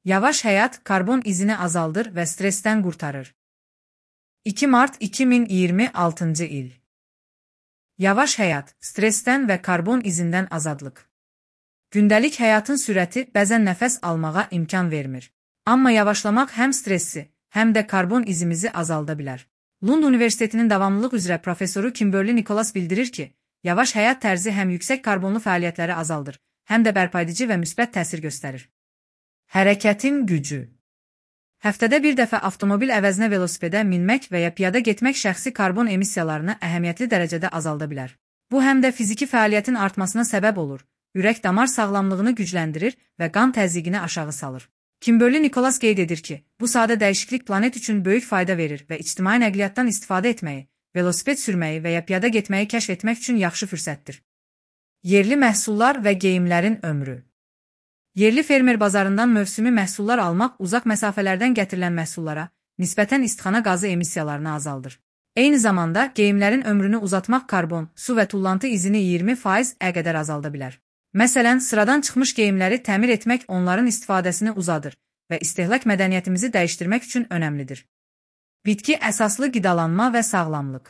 Yavaş həyat karbon izini azaldır və stressdən qurtarır. 2 mart 2026 il. Yavaş həyat, stressdən və karbon izindən azadlıq. Gündəlik həyatın sürəti bəzən nəfəs almağa imkan vermir. Amma yavaşlamaq həm stressi, həm də karbon izimizi azalda bilər. Lund Universitetinin davamlılıq üzrə professoru Kimberly Nicholas bildirir ki, yavaş həyat tərzi həm yüksək karbonlu fəaliyyətləri azaldır, həm də bərpaedici və müsbət təsir göstərir. Hərəkətin gücü. Həftədə bir dəfə avtomobil əvəzinə velosipedə minmək və ya piyada getmək şəxsi karbon emissiyalarını əhəmiyyətli dərəcədə azalda bilər. Bu həm də fiziki fəaliyyətin artmasına səbəb olur, ürək-damar sağlamlığını gücləndirir və qan təzyiqini aşağı salır. Kimberly Nicholas qeyd edir ki, bu sadə dəyişiklik planet üçün böyük fayda verir və ictimai nəqliyyatdan istifadə etməyi, velosiped sürməyi və ya piyada getməyi kəşf etmək üçün yaxşı fürsətdir. Yerli məhsullar və geyimlərin ömrü. Yerli fermer bazarından mövsümi məhsullar almaq uzaq məsafələrdən gətirilən məhsullara nisbətən istixana qazı emissiyalarını azaldır. Eyni zamanda geyimlərin ömrünü uzatmaq karbon, su və tullantı izini 20% qədər azalda bilər. Məsələn, sıradan çıxmış geyimləri təmir etmək onların istifadəsini uzadır və istehlak mədəniyyətimizi dəyişdirmək üçün önəmlidir. Bitki əsaslı qidalanma və sağlamlıq.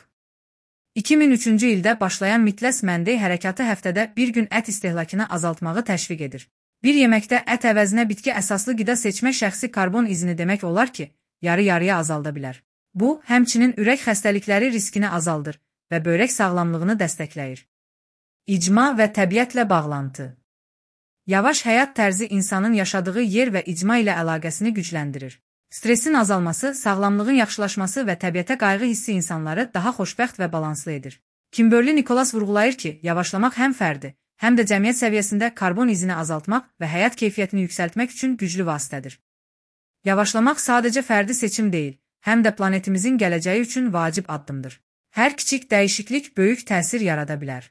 2003-cü ildə başlayan Midwest Monday hərəkatı həftədə bir gün ət istehlakını azaltmağı təşviq edir. Bir yeməkdə ət əvəzinə bitki əsaslı qida seçmək şəxsi karbon izini demək olar ki, yarı-yarıya azalda bilər. Bu, həmçinin ürək xəstəlikləri riskini azaldır və böyrək sağlamlığını dəstəkləyir. İcma və təbiətlə bağlantı. Yavaş həyat tərzi insanın yaşadığı yer və icma ilə əlaqəsini gücləndirir. Stressin azalması, sağlamlığın yaxşılaşması və təbiətə qayğı hissi insanları daha xoşbəxt və balanslı edir. Kimberly Nicholas vurğulayır ki, yavaşlamaq həm fərdi, həm də cəmiyyət səviyyəsində karbon izini azaltmaq və həyat keyfiyyətini yüksəltmək üçün güclü vasitədir. Yavaşlamaq sadəcə fərdi seçim deyil, həm də planetimizin gələcəyi üçün vacib addımdır. Hər kiçik dəyişiklik böyük təsir yarada bilər.